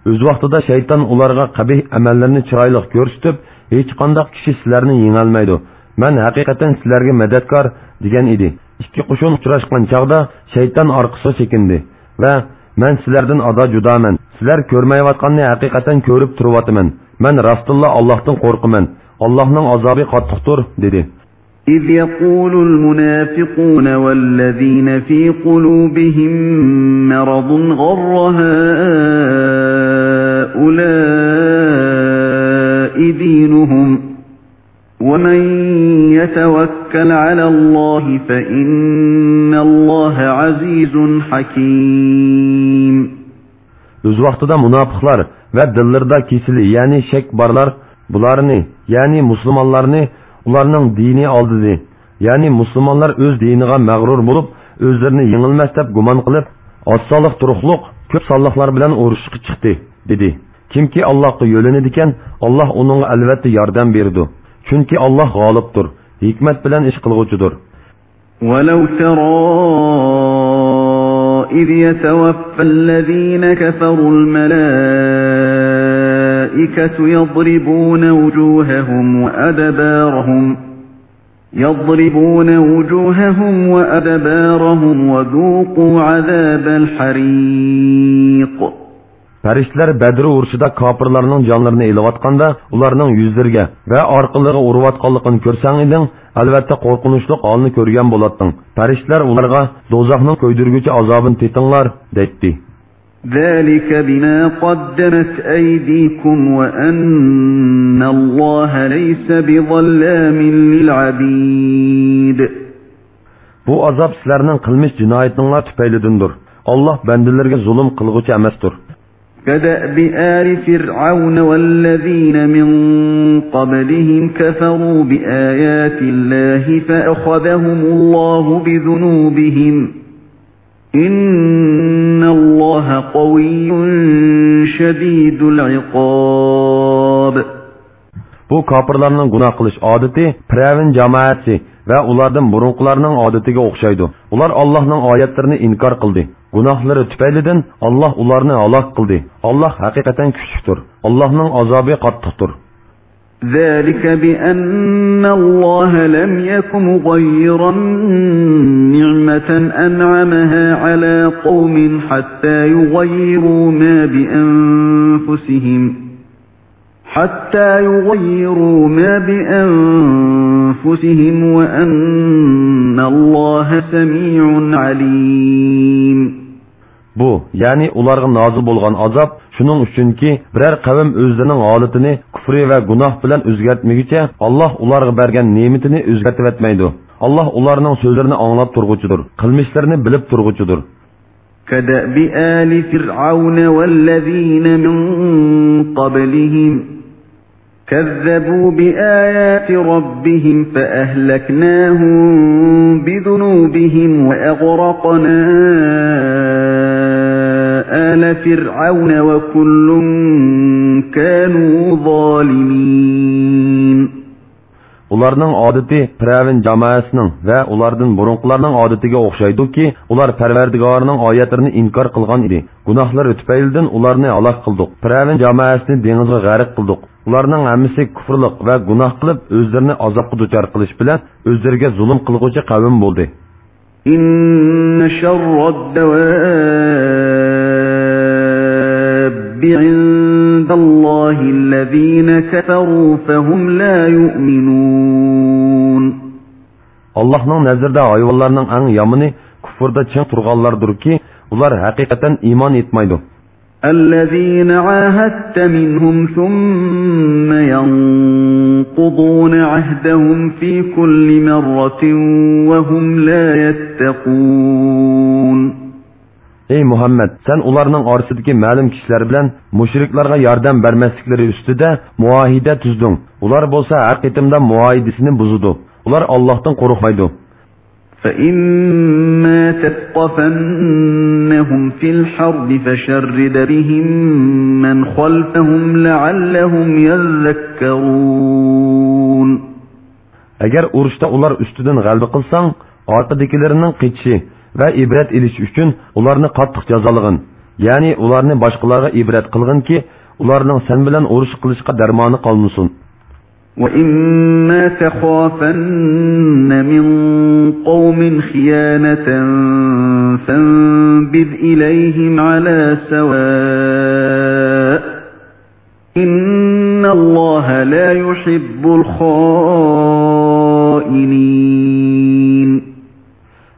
ئۆز ۋاقتىدا شەيتان ئۇلارغا قەبىھ ئەمەللىرىنى چىرايلىق كۆرسىتىپ، ھېچقانداق كىشى سىلەرنى يېڭەلمەيدۇ. مەن ھەقىقەتەن سىلەرگە مەدەتكار، دېگەن ئىدى. ئىككى قوشۇن ئۇچراشقان چاغدا شەيتان ئارقىسىغا چېكىندى ۋە مەن سىلەردىن ئادا جۇدامەن. سىلەر كۆرمەيۋاتقاننى ھەقىقەتەن كۆرۈپ تۇرۇۋاتىمەن. مەن راستتىنلا ئاللاھتىن قورقىمەن. ئاللاھنىڭ ئازابى قاتتىقتۇر، دېدى. إذ يقول المنافقون والذين في قلوبهم مرض غر هؤلاء دينهم ومن يتوكل على الله فإن الله عزيز حكيم. ئۆز ۋاقتىدا مۇناپىقلار ۋە دىللىرىدا كېسىلى، يەنى شەك بارلار، بۇلارنى، يەنى مۇسۇلمانلارنى ئۇلارنىڭ دىنى ئالدىدى. يەنى مۇسۇلمانلار ئۆز دىنىغا مەغرۇر بولۇپ، ئۆزلىرىنى يېڭىلمەس دەپ گۇمان قىلىپ، ئاز سانلىق تۇرۇقلۇق كۆپ سانلىقلار بىلەن ئۇرۇشقا چىقتى، دېدى. كىمكى ئاللاھقا يۆلىنىدىكەن، ئاللاھ ئۇنىڭغا ئەلۋەتتە ياردەم بېرىدۇ. چۈنكى ئاللاھ غالىبتۇر، ھېكمەت بىلەن ئىش قىلغۇچىدۇر. ولو ترى إذ يتوفى الذين كفروا الملائكة يضربون وجوههم وأدبارهم، يضربون وجوههم وأدبارهم وذوقوا عذاب الحريق. پەرىشتىلەر بەدر ئۇرۇشىدا كاپىرلارنىڭ جانلىرىنى ئېلىۋاتقاندا، ئۇلارنىڭ يۈزلىرىگە ۋە ئارقىلىرىغا ئۇرۇۋاتقانلىقىنى كۆرسەڭ ئىدىڭ، ئەلۋەتتە قورقۇنچلۇق ھالنى كۆرگەن بولاتتىڭ. پەرىشتىلەر ئۇلارغا، دوزاخنىڭ كۆيدۈرگۈچى ئازابىنى تېتىڭلار، دەيتتى. ذلك بما قدمت أيديكم وأن الله ليس بظلام للعبيد. بۇ ئازاب سىلەرنىڭ قىلمىش جىنايىتىڭلار تۈپەيلىدىندۇر. ئاللاھ بەندىلىرىگە زۇلۇم قىلغۇچى ئەمەستۇر. كدأب آل فرعون والذين من قبلهم كفروا بآيات الله فأخذهم الله بذنوبهم إن الله قوي شديد العقاب. بۇ كاپىرلارنىڭ گۇناھ قىلىش ئادىتى پىرئەۋن جامائەتى ۋە ئۇلاردىن بۇرۇنقىلارنىڭ ئادىتىگە ئوخشايدۇ. ئۇلار ئاللاھنىڭ ئايەتلىرىنى ئىنكار قىلدى. گۇناھلىرى تۈپەيلىدىن ئاللاھ ئۇلارنى ھالاك قىلدى. ئاللاھ ھەقىقەتەن كۈچلۈكتۇر. ئاللاھنىڭ ئازابى قاتتىقتۇر. ذلك بأن الله لم يك مغيرا نعمة أنعمها على قوم حتى يغيروا ما بأنفسهم حتى يغيروا ما بأنفسهم وأن الله سميع عليم. بۇ، يەنى ئۇلارغا نازىل بولغان ئازاب شۇنىڭ ئۈچۈنكى، بىرەر قەۋم ئۆزلىرىنىڭ ھالىتىنى كۇفرى ۋە گۇناھ بىلەن ئۆزگەرتمىگۈچە، ئاللاھ ئۇلارغا بەرگەن نېمىتىنى ئۆزگەرتىۋەتمەيدۇ. ئاللاھ ئۇلارنىڭ سۆزلىرىنى ئاڭلاپ تۇرغۇچىدۇر، قىلمىشلىرىنى بىلىپ تۇرغۇچىدۇر. كدأب آل فرعون والذين من قبلهم كذبوا بآيات ربهم فأهلكناهم بذنوبهم وأغرقنا آل فرعون وكل كانوا ظالمين. ئۇلارنىڭ ئادىتى پىرئەۋن جامائەسىنىڭ ۋە ئۇلاردىن بۇرۇنقىلارنىڭ ئادىتىگە ئوخشايدۇكى، ئۇلار پەرۋەردىگارىنىڭ ئايەتلىرىنى ئىنكار قىلغان ئىدى. گۇناھلىرى تۈپەيلىدىن ئۇلارنى ھالاك قىلدۇق. پىرئەۋن جامائەسىنى دېڭىزغا غەرق قىلدۇق. ئۇلارنىڭ ھەممىسى كۇفرلۇق ۋە گۇناھ قىلىپ، ئۆزلىرىنى ئازابقا دۇچار قىلىش بىلەن ئۆزلىرىگە زۇلۇم قىلغۇچى قەۋم بولدى. إن شر الدواب عند الله الذين كفروا فهم لا يؤمنون. ئاللاھنىڭ نەزىرىدە ھايۋانلارنىڭ ئەڭ يامىنى كۇفردا چىڭ تۇرغانلاردۇركى، ئۇلار ھەقىقەتەن ئىمان ئېيتمايدۇ. الذين عاهدت منهم ثم ينقضون عهدهم في كل مرة وهم لا يتقون. ئەي مۇھەممەد، سەن ئۇلارنىڭ ئارىسىدىكى مەلۇم كىشىلەر بىلەن مۇشرىكلارغا ياردەم بەرمەسلىكلىرى ئۈستىدە مۇئاھىدە تۈزدۈڭ. ئۇلار بولسا ھەر قېتىمدا مۇئاھىدىسىنى بۇزىدۇ. ئۇلار ئاللاھتىن قورقمايدۇ. فإما تثقفنهم في الحرب فشرد بهم من خلفهم لعلهم يذكرون. ئەگەر ئۇرۇشتا ئۇلار ئۈستىدىن غەلىبە قىلساڭ، ئارقىدىكىلىرىنىڭ قېچىشى ۋە ئىبرەت ئېلىشى ئۈچۈن ئۇلارنى قاتتىق جازالىغىن. يەنى ئۇلارنى باشقىلارغا ئىبرەت قىلغىنكى، ئۇلارنىڭ سەن بىلەن ئۇرۇش قىلىشقا دەرمانى قالمىسۇن. وإما تخافن من قوم خيانة فانبذ إليهم على سواء إن الله لا يحب الخائنين.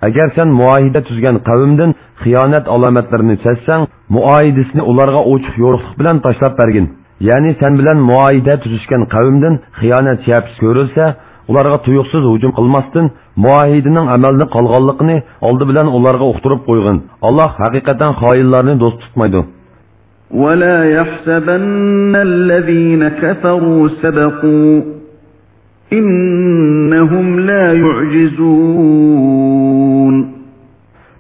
ئەگەر سەن مۇئاھىدە تۈزگەن قەۋمدىن خىيانەت ئالامەتلىرىنى سەزسەڭ، مۇئاھىدىسىنى ئۇلارغا ئوچۇق يورۇقلۇق بىلەن تاشلاپ بەرگىن. يەنى سەن بىلەن مۇئاھىدە تۈزۈشكەن قەۋمدىن خىيانەت شەپىسى كۆرۈلسە، ئۇلارغا تۇيۇقسىز ھۇجۇم قىلماستىن، مۇئاھىدىنىڭ ئەمەلدىن قالغانلىقىنى ئالدى بىلەن ئۇلارغا ئۇقتۇرۇپ قويغىن. ئاللاھ ھەقىقەتەن خائىنلارنى دوست تۇتمايدۇ. ولا يحسبن الذين كفروا سبقوا إنهم لا يعجزون.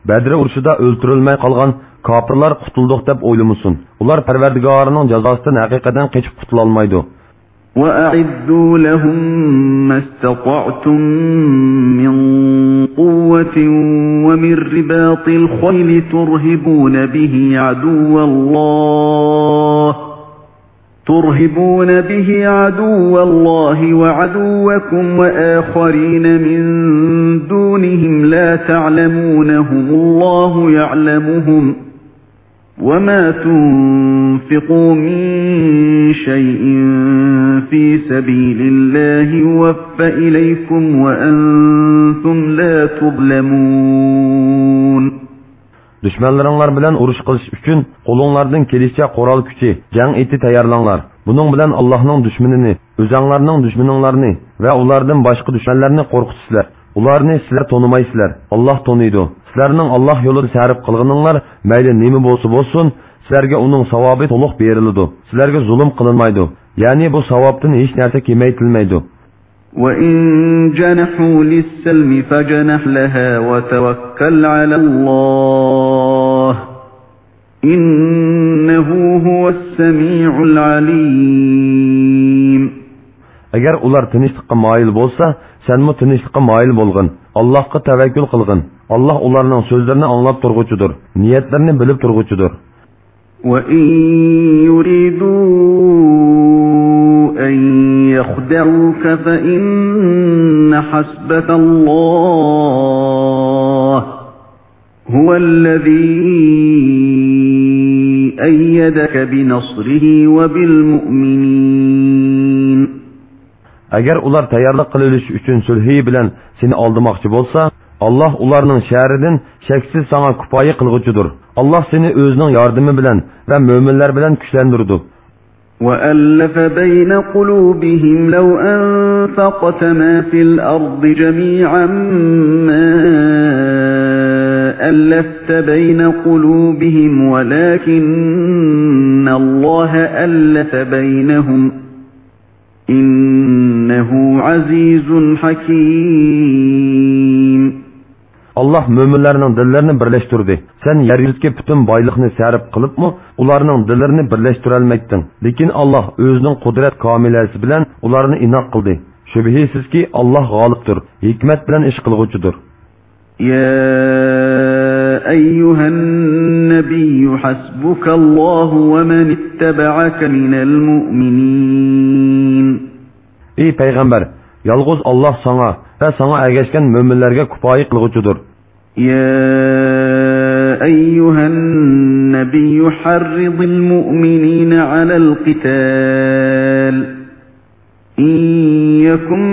بەدر ئۇرۇشىدا ئۆلتۈرۈلمەي قالغان كاپىرلار قۇتۇلدۇق دەپ ئويلىمىسۇن. ئۇلار پەرۋەردىگارىنىڭ جازاسىدىن ھەقىقەتەن قېچىپ قۇتۇلالمايدۇ. وأعدوا لهم ما استطعتم من قوة ومن رباط الخيل ترهبون به عدو الله ترهبون به عدو الله وعدوكم وآخرين من دونهم لا تعلمونهم الله يعلمهم وما تنفقوا من شيء في سبيل الله يوف إليكم وأنتم لا تظلمون. دۈشمەنلىرىڭلار بىلەن ئۇرۇش قىلىش ئۈچۈن قولۇڭلاردىن كېلىشىچە قورال كۈچى، جەڭ ئېتى تەييارلاڭلار. بۇنىڭ بىلەن ئاللاھنىڭ دۈشمىنىنى، ئۆزەڭلارنىڭ دۈشمىنىڭلارنى ۋە ئۇلاردىن باشقا دۈشمەنلەرنى قورقۇتىسىلەر. ئۇلارنى سىلەر تونۇمايسىلەر، ئاللاھ تونۇيدۇ. سىلەرنىڭ ئاللاھ يولىدا سەرپ قىلغىنىڭلار مەيلى نېمە بولسا بولسۇن، سىلەرگە ئۇنىڭ ساۋابى تولۇق بېرىلىدۇ. سىلەرگە زۇلۇم قىلىنمايدۇ، يەنى بۇ ساۋابتىن ھېچ نەرسە كېمەيتىلمەيدۇ. وَإِن جَنَحُوا لِلسَّلْمِ فَاجْنَحْ لَهَا وَتَوَكَّلْ عَلَى اللَّهِ، إِنَّهُ هُوَ السَّمِيعُ الْعَلِيمُ. ئەگەر ئۇلار تىنچلىققا مايىل بولسا، سەنمۇ تىنچلىققا مايىل بولغىن. ئاللاھقا تەۋەككۈل قىلغىن. ئاللاھ ئۇلارنىڭ سۆزلىرىنى ئاڭلاپ تۇرغۇچىدۇر، نىيەتلىرىنى بىلىپ تۇرغۇچىدۇر. وَإِن يُرِيدُوا أَن يَخْدَعُوكَ فَإِنَّ حَسْبَكَ اللَّهُ هُوَ الَّذِي أَيَّدَكَ بِنَصْرِهِ وَبِالْمُؤْمِنِينَ. ئەگەر ئۇلار تەييارلىق قىلىۋېلىش ئۈچۈن سۈلھى بىلەن سېنى ئالدىماقچى بولسا، ئاللاھ ئۇلارنىڭ شەررىدىن شەكسىز ساڭا كۇپايە قىلغۇچىدۇر. ئاللاھ سېنى ئۆزىنىڭ ياردىمى بىلەن ۋە مۆمىنلەر بىلەن كۈچلەندۈرىدۇ. وَأَلَّفَ بَيْنَ قُلُوبِهِمْ لَوْ أَنفَقْتَ مَا فِي الْأَرْضِ جَمِيعًا مَا أَلَّفْتَ بَيْنَ قُلُوبِهِمْ وَلَكِنَّ اللَّهَ أَلَّفَ بَيْنَهُمْ، إِنَّهُ عَزِيزٌ حَكِيمٌ. ئاللاھ مۆمىنلەرنىڭ دىللىرىنى بىرلەشتۈردى. سەن يەر يۈزىدىكى پۈتۈن بايلىقنى سەرپ قىلىپمۇ، ئۇلارنىڭ دىللىرىنى بىرلەشتۈرەلمەيتتىڭ. لېكىن ئاللاھ ئۆزىنىڭ قۇدرەت كامىلەسى بىلەن ئۇلارنى ئىناق قىلدى. شۈبھىسىزكى، ئاللاھ غالىبتۇر، ھېكمەت بىلەن ئىش قىلغۇچىدۇر. يَا أَيُّهَا النَّبِيُّ حَسْبُكَ اللَّهُ وَمَنِ اتَّبَعَكَ مِنَ الْمُؤْمِنِينَ. ئى پەيغەمبەر، يالغۇز ئاللاھ ساڭا ۋە ساڭا ئەگەشكەن مۆمىنلەرگە كۇپايە قىلغۇچىدۇر. يَا أَيُّهَا النَّبِيُّ حَرِّضِ الْمُؤْمِنِينَ عَلَى الْقِتَالِ، إِن يَكُن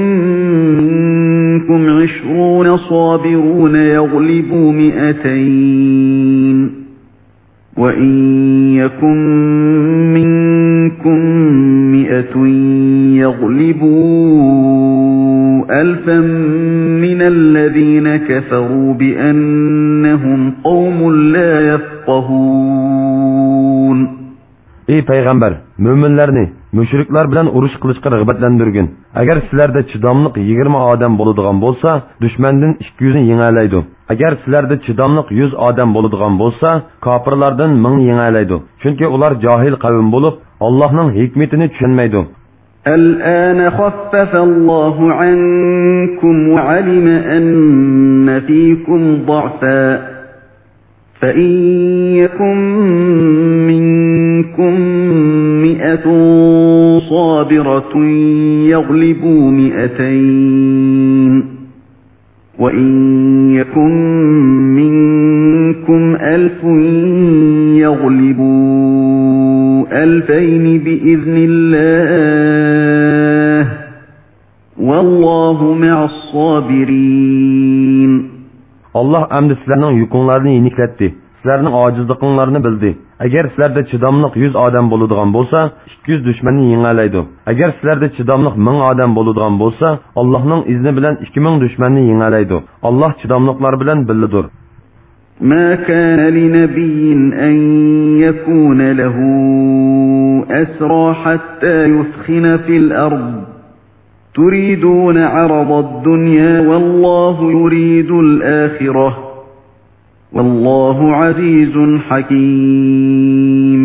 مِّنكُمْ عِشْرُونَ صَابِرُونَ يَغْلِبُوا مِائَتَيْنِ، وَإِن يَكُن مِّنكُم مِّائَةٌ يَغْلِبُوا أَلْفًا مِّنَ الَّذِينَ كَفَرُوا بِأَنَّهُمْ قَوْمٌ لَّا يَفْقَهُونَ. ئى پەيغەمبەر، مۆمىنلەرنى مۇشرىكلار بىلەن ئۇرۇش قىلىشقا رىغبەتلەندۈرگىن. ئەگەر سىلەردە چىداملىق يىگىرمە ئادەم بولىدىغان بولسا، دۈشمەندىن ئىككى يۈزنى يېڭەلەيدۇ. ئەگەر سىلەردە چىداملىق يۈز ئادەم بولىدىغان بولسا، كاپىرلاردىن مىڭنى يېڭەلەيدۇ. چۈنكى ئۇلار جاھىل قەۋم بولۇپ، ئاللاھنىڭ ھېكمىتىنى چۈشەنمەيدۇ. الْآنَ خَفَّفَ اللَّهُ عَنكُمْ وَعَلِمَ أَنَّ فِيكُمْ ضَعْفًا، فَإِن يَكُن مِّنكُم مِّائَةٌ صَابِرَةٌ يَغْلِبُوا مِائَتَيْنِ، وَإِن يَكُن مِّنكُمْ أَلْفٌ يَغْلِبُوا أَلْفَيْنِ بِإِذْنِ اللَّهِ، وَاللَّهُ مَعَ الصَّابِرِينَ. ئاللاھ ئەمدى سىلەرنىڭ يۈكۈڭلارنى يېنىكلەتتى، سىلەرنىڭ ئاجىزلىقىڭلارنى بىلدى. ئەگەر سىلەردە چىداملىق يۈز ئادەم بولىدىغان بولسا، ئىككى يۈز دۈشمەننى يېڭەلەيدۇ. ئەگەر سىلەردە چىداملىق مىڭ ئادەم بولىدىغان بولسا، ئاللاھنىڭ ئىزنى بىلەن ئىككى مىڭ دۈشمەننى يېڭەلەيدۇ. ئاللاھ چىداملىقلار بىلەن بىللىدۇر. مَا كَانَ لِنَبِيٍّ أَن يَكُونَ لَهُ أَسْرَىٰ حَتَّىٰ يُثْخِنَ فِي الْأَرْضِ، تُرِيدُونَ عَرَضَ الدُّنْيَا وَاللَّهُ يُرِيدُ الْآخِرَةَ، وَاللَّهُ عَزِيزٌ حَكِيمٌ.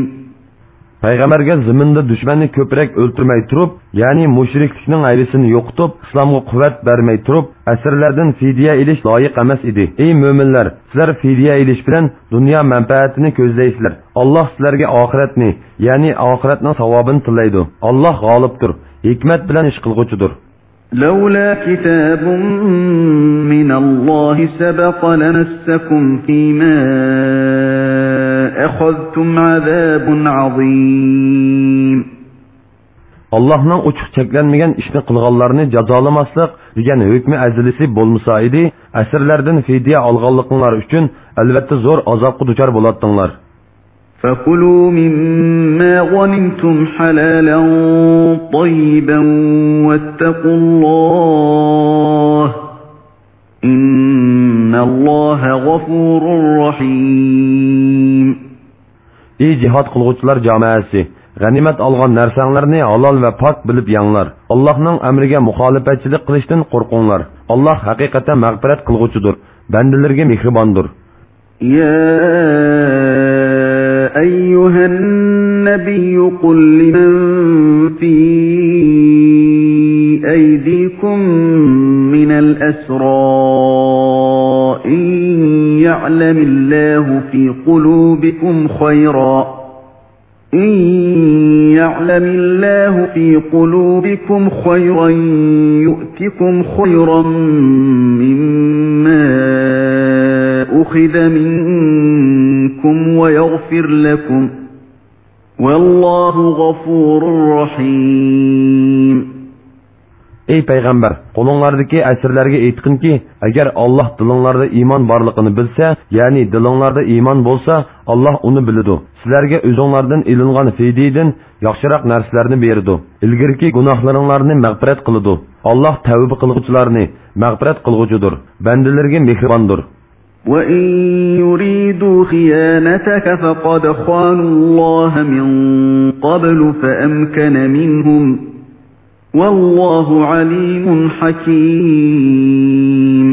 پەيغەمبەرگە زېمىندا دۈشمەننى كۆپرەك ئۆلتۈرمەي تۇرۇپ، يەنى مۇشرىكلىكنىڭ ھەيۋىسىنى يوقىتىپ، ئىسلامغا قۇۋۋەت بەرمەي تۇرۇپ، ئەسىرلەردىن فىدىيە ئېلىش لايىق ئەمەس ئىدى. ئەي مۆمىنلەر، سىلەر فىدىيە ئېلىش بىلەن دۇنيا مەنپەئەتىنى كۆزلەيسىلەر. ئاللاھ سىلەرگە ئاخىرەتنى، يەنى ئاخىرەتنىڭ ساۋابىنى تىلەيدۇ. ئاللاھ غالىبتۇر، ھېكمەت بىلەن ئىش قىلغۇچىدۇر. لَوْلَا كِتَابٌ مِّنَ اللَّهِ سَبَقَ لَمَسَّكُمْ فِيمَا أَخَذْتُمْ عَذَابٌ عَظِيمٌ. ئاللاھنىڭ ئوچۇق چەكلەنمىگەن ئىشنى قىلغانلارنى جازالىماسلىق دېگەن ھۆكمى ئەزەلىسى بولمىسا ئىدى، ئەسىرلەردىن فىدىيە ئالغانلىقىڭلار ئۈچۈن ئەلۋەتتە زور ئازابقا دۇچار بولاتتىڭلار. فَكُلُوا مِمَّا غَنِمْتُمْ حَلَالًا طَيِّبًا وَاتَّقُوا اللَّهَ، إن الله غفور رحيم. ئى جىھاد قىلغۇچىلار جامائەسى! غەنىيمەت ئالغان نەرسەڭلارنى ھالال ۋە پاك بىلىپ يەڭلار. ئاللاھنىڭ ئەمرىگە مۇخالىپەتچىلىك قىلىشتىن قورقۇڭلار. ئاللاھ ھەقىقەتەن مەغپىرەت قىلغۇچىدۇر، بەندىلىرىگە مېھرىباندۇر. يا أيها النبي قل لمن في أيديكم من الأسرى إن يعلم الله في قلوبكم خيرا إن يعلم الله في قلوبكم خيرا يؤتكم خيرا مما أخذ منكم ويغفر لكم والله غفور رحيم. ئەي پەيغەمبەر، قولۇڭلاردىكى ئەسىرلەرگە ئېيتقىنكى، ئەگەر ئاللاھ دىلىڭلاردا ئىمان بارلىقىنى بىلسە، يەنى دىلىڭلاردا ئىمان بولسا، ئاللاھ ئۇنى بىلىدۇ. سىلەرگە ئۆزۈڭلاردىن ئېلىنغان فىدىيىدىن ياخشىراق نەرسىلەرنى بېرىدۇ. ئىلگىرىكى گۇناھلىرىڭلارنى مەغپىرەت قىلىدۇ. ئاللاھ تەۋبە قىلغۇچىلارنى مەغپىرەت قىلغۇچىدۇر، بەندىلىرىگە مېھرىباندۇر. وإن يريدوا خيانتك فقد خانوا الله من قبل فأمكن منهم والله عليم حكيم.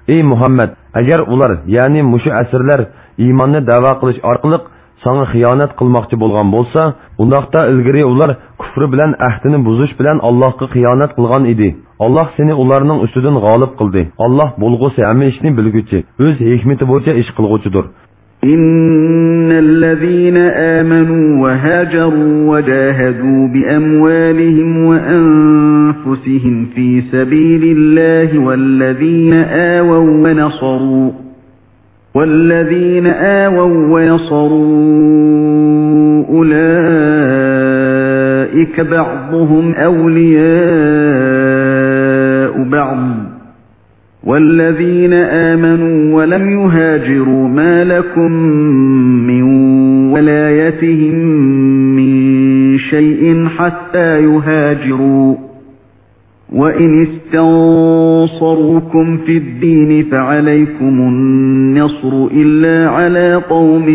ئەي مۇھەممەد، ئەگەر ئۇلار، يەنى مۇشۇ ئەسىرلەر ئىماننى دەۋا قىلىش ئارقىلىق ساڭا خىيانەت قىلماقچى بولغان بولسا، ئۇنداقتا ئىلگىرى ئۇلار كۇفرى بىلەن ئەھدىنى بۇزۇش بىلەن ئاللاھقا خىيانەت قىلغان ئىدى. ئاللاھ سېنى ئۇلارنىڭ ئۈستىدىن غالىب قىلدى. ئاللاھ بولغۇسى ھەممە ئىشنى بىلگۈچى، ئۆز ھېكمىتى بويىچە ئىش قىلغۇچىدۇر. إن الذين آمنوا وهاجروا وجاهدوا بأموالهم وأنفسهم في سبيل الله والذين آووا ونصروا والذين آووا ونصروا أولئك بعضهم أولياء بعض والذين آمنوا ولم يهاجروا ما لكم من ولايتهم من شيء حتى يهاجروا وإن استنصروكم في الدين فعليكم النصر إلا على قوم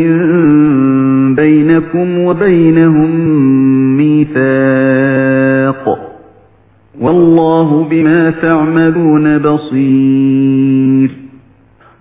بينكم وبينهم ميثاق والله بما تعملون بصير.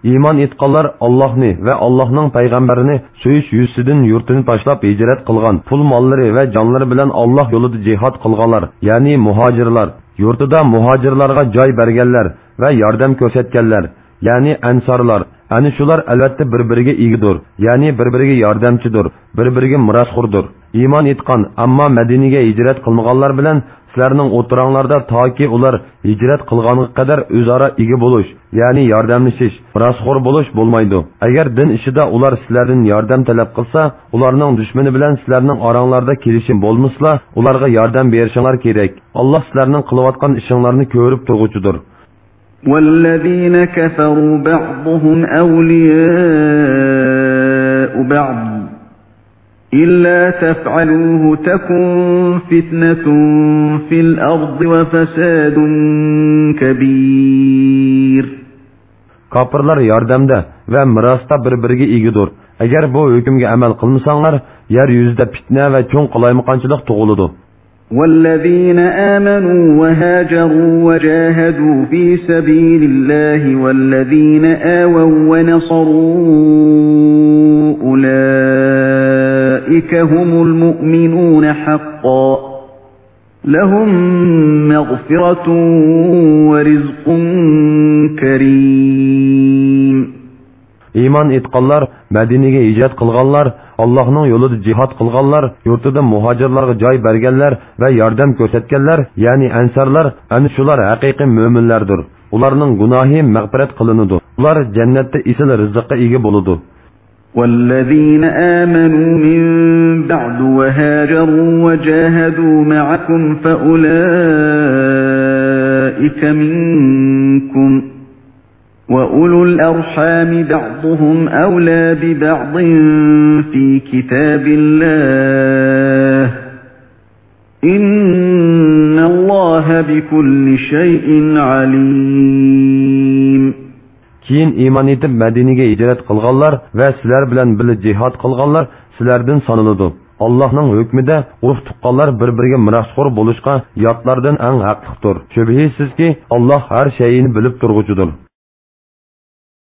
ئىمان ئېيتقانلار ئاللاھنى ۋە ئاللاھنىڭ پەيغەمبىرىنى سۆيۈش يۈزىسىدىن يۇرتىنى تاشلاپ ھىجرەت قىلغان، پۇل ماللىرى ۋە جانلىرى بىلەن ئاللاھ يولىدا جىھاد قىلغانلار، يەنى مۇھاجىرلار، يۇرتىدا مۇھاجىرلارغا جاي بەرگەنلەر ۋە ياردەم كۆرسەتكەنلەر، يەنى ئەنسارلار، ئەنە شۇلار ئەلۋەتتە بىر-بىرىگە ئىگىدۇر، يەنى بىر-بىرىگە ياردەمچىدۇر، بىر-بىرىگە مىراسخوردۇر. ئىمان ئېيتقان، ئەمما مەدىنىگە ھىجرەت قىلمىغانلار بىلەن سىلەرنىڭ ئوتتۇراڭلاردا تاكى ئۇلار ھىجرەت قىلغانغا قەدەر ئۆزئارا ئىگە بولۇش، يەنى ياردەملىشىش، مىراسخور بولۇش بولمايدۇ. ئەگەر دىن ئىشىدا ئۇلار سىلەردىن ياردەم تەلەپ قىلسا، ئۇلارنىڭ دۈشمىنى بىلەن سىلەرنىڭ ئاراڭلاردا كېلىشىم بولمىسىلا، ئۇلارغا ياردەم بېرىشىڭلار كېرەك. ئاللاھ سىلەرنىڭ قىلىۋاتقان ئىشىڭلارنى كۆرۈپ تۇرغۇچىدۇر. والذين كفروا بعضهم أولياء بعض إلا تفعلوه تكن فتنة في الأرض وفساد كبير. كاپىرلار ياردەمدە ۋە مىراستا بىر-بىرىگە ئىگىدۇر. ئەگەر بۇ ھۆكۈمگە ئەمەل قىلمىساڭلار، يەر يۈزىدە پىتنە ۋە چوڭ قالايمىقانچىلىق تۇغۇلىدۇ. والذين آمنوا وهاجروا وجاهدوا في سبيل الله والذين آووا ونصروا أولئك هم المؤمنون حقا لهم مغفرة ورزق كريم. ئىمان ئېيتقانلار، مەدىنىگە ھىجرەت قىلغانلار، ئاللاھنىڭ يولىدا جىھاد قىلغانلار، يۇرتىدا مۇھاجىرلارغا جاي بەرگەنلەر ۋە ياردەم كۆرسەتكەنلەر، يەنى ئەنسارلار، ئەنە شۇلار ھەقىقىي مۆمىنلەردۇر. ئۇلارنىڭ گۇناھى مەغپىرەت قىلىنىدۇ. ئۇلار جەننەتتە ئېسىل رىزىققا ئىگە بولىدۇ. والذين آمنوا من بعد وهاجروا وجاهدوا معكم فأولئك منكم وأولو الأرحام بعضهم أولى ببعض في كتاب الله إن الله بكل شيء عليم. كېيىن ئىمان ئېيتىپ مەدىنىگە ھىجرەت قىلغانلار ۋە سىلەر بىلەن بىللە جىھاد قىلغانلار سىلەردىن سانىلىدۇ. ئاللاھنىڭ ھۆكمىدە ئۇرۇق-تۇغقانلار بىر-بىرىگە مىراسخور بولۇشقا ياتلاردىن ئەڭ ھەقلىقتۇر. شۈبھىسىزكى، ئاللاھ ھەر شەيئىنى بىلىپ تۇرغۇچىدۇر.